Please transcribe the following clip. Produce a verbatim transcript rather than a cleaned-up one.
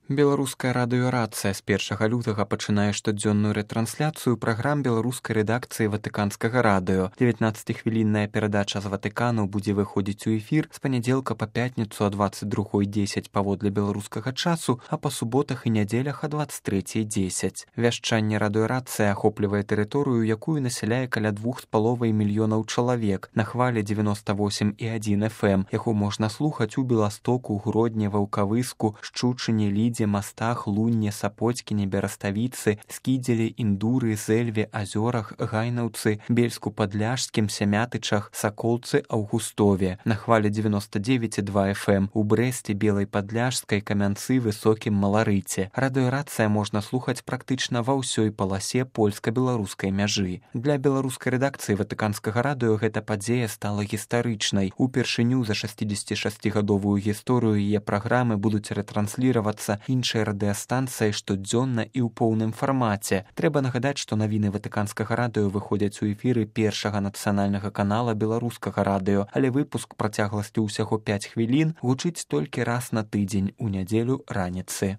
Беларуская радыёрацыя з першага лютага пачынае штодзённую рэтрансляцыю праграм беларускай рэдакцыі ватыканскага радыё. дзевятнаццацігвілінная перадача з Ватыкану будзе выходзіць у эфір з панядзелка па пятніцу о дваццаць другой дзесяць паводле беларускага часу, а па суботах і нядзелях о дваццаць трэцяй дзесяць. Вяшчанне радыёрацыі ахоплівае тэрыторыю, якую насяляе каля двух з паловай мільёнаў чалавек на хвалі дзевяноста восем і адзін эф эм. Яго можна слухаць у Беластоку, Гродні, Ваўкавыску, Шчучыне, Лідзе, Мастах, Лунне, Сапоцькіне, Бераставіцы, Скідзелі, Індуры, Зэльве, Азёрах, Гайнаўцы, Бельску-Падляшскім, Сямятычах, Саколцы, Аўгустове. На хвалі дзевяноста дзевяць і два эф эм у Брэсце, Белай Падляшскай, Камянцы, Высокім, Маларыце. Радыёрацыя можна слухаць практычна ва ўсёй паласе польска-беларускай мяжы. Для беларускай рэдакцыі ватыканскага радыё гэта падзея стала гістарычнай. Упершыню за шэсцідзесяцішасцігадовую гісторыю яе праграмы будуць рэтрансліравацца іншай радыастанцыяй штодзённа і ў поўным фармаце. Трэба нагадаць, што навіны ватыканскага радыё выходзяць у эфіры першага нацыянальнага канала беларускага радыё, але выпуск працягласцю ўсяго пяць хвілін гучыць толькі раз на тыдзень у нядзелю раніцы.